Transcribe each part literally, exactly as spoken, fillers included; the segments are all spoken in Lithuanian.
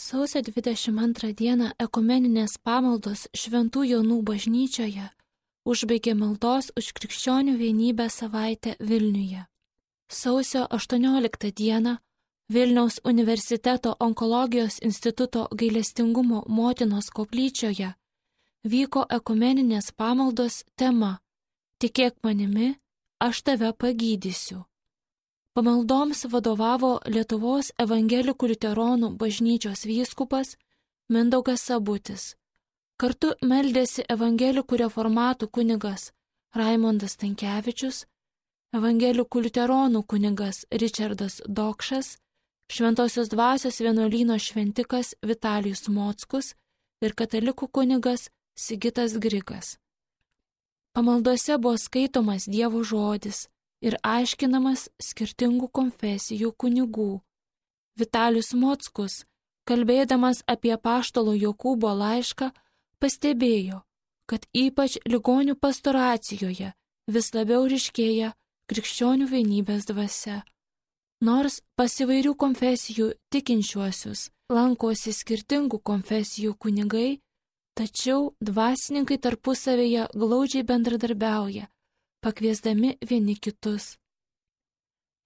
Sausio dvidešimt antrą dieną ekumeninės pamaldos Šventų Jonų bažnyčioje užbaigė maldos už krikščionių vienybę savaitę Vilniuje. Sausio aštuonioliktą dieną Vilniaus universiteto onkologijos instituto gailestingumo motinos koplyčioje vyko ekumeninės pamaldos tema "Tikėk manimi, aš tave pagydysiu". Pamaldoms vadovavo Lietuvos evangelikų liuteronų bažnyčios vyskupas Mindaugas Sabutis. Kartu meldėsi evangelikų reformatų kunigas Raimondas Stankevičius, evangelikų liuteronų kunigas Ričardas Dokšas, Šventosios dvasios vienuolyno šventikas Vitalijus Mockus ir katalikų kunigas Sigitas Grigas. Pamaldose buvo skaitomas Dievo žodis ir aiškinamas skirtingų konfesijų kunigų. Vitalijus Mockus, kalbėdamas apie apaštalo Jokūbo laišką, pastebėjo, kad ypač ligonių pastoracijoje vis labiau ryškėja krikščionių vienybės dvasia. Nors pas įvairių konfesijų tikinčiuosius lankosi skirtingų konfesijų kunigai, tačiau dvasininkai tarpusavėje glaudžiai bendradarbiauja, pakviesdami vieni kitus.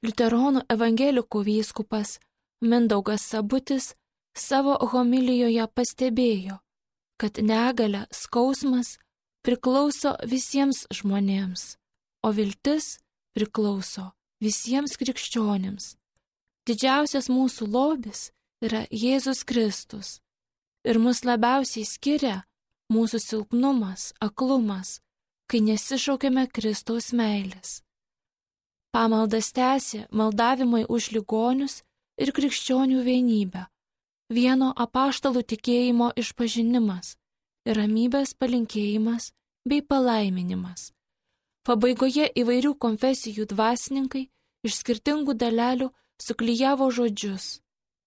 Liuteronų evangelikų vyskupas Mindaugas Sabutis savo homilijoje pastebėjo, kad negalia, skausmas priklauso visiems žmonėms, o viltis priklauso visiems krikščionims. Didžiausias mūsų lobis yra Jėzus Kristus ir mus labiausiai skiria mūsų silpnumas, aklumas, kai nesišaukiame Kristaus meilės. Pamaldas tęsė maldavimai už ligonius ir krikščionių vienybę, vieno apaštalų tikėjimo išpažinimas ir ramybės palinkėjimas bei palaiminimas. Pabaigoje įvairių konfesijų dvasininkai iš skirtingų dalelių suklijavo žodžius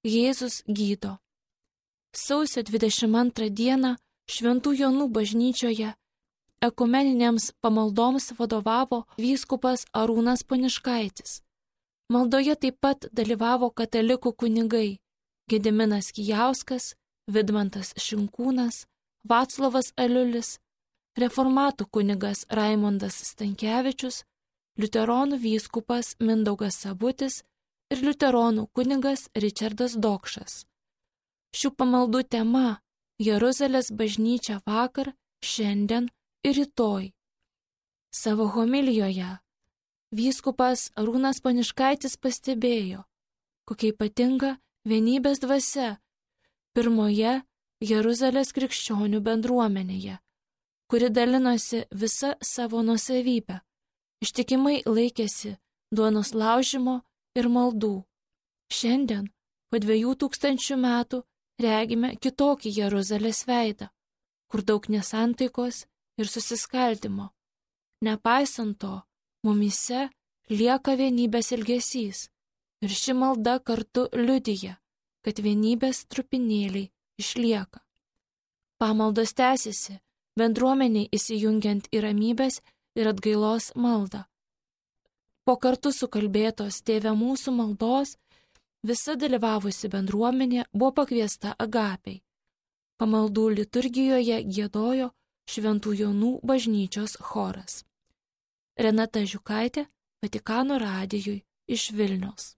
Jėzus gydo. Sausio dvidešimt antrą dieną Šventų Jonų bažnyčioje ekumeninėms pamaldoms vadovavo vyskupas Arūnas Poniškaitis. Maldoje taip pat dalyvavo katalikų kunigai Gediminas Kijauskas, Vidmantas Šinkūnas, Vaclovas Aliulis, reformatų kunigas Raimondas Stankevičius, liuteronų vyskupas Mindaugas Sabutis ir liuteronų kunigas Ričardas Dokšas. Šių pamaldų tema Jeruzalės bažnyčia vakar, šiandien ir rytoj. Savo homilijoje vyskupas Arūnas Poniškaitis pastebėjo, kokia ypatinga vienybės dvasia pirmoje Jeruzalės krikščionių bendruomenėje, kuri dalinosi visa savo nuosavybę, ištikimai laikėsi duonos laužimo ir maldų. Šiandien, po dviejų tūkstančių metų, regime kitokį Jeruzalės veidą, kur daug nesantaikos ir susiskaldimo. Nepaisant to, mumyse lieka vienybės ilgesys ir ši malda kartu liudija, kad vienybės trupinėliai išlieka. Pamaldos tęsiasi, bendruomeniai įsijungiant į ramybės ir atgailos maldą. Po kartu sukalbėtos Tėve mūsų maldos, visa dalyvavusi bendruomenė buvo pakviesta agapiai. Pamaldų liturgijoje giedojo Šventų Jonų bažnyčios choras. Renata Žiukaitė, Vatikano radijui iš Vilniaus.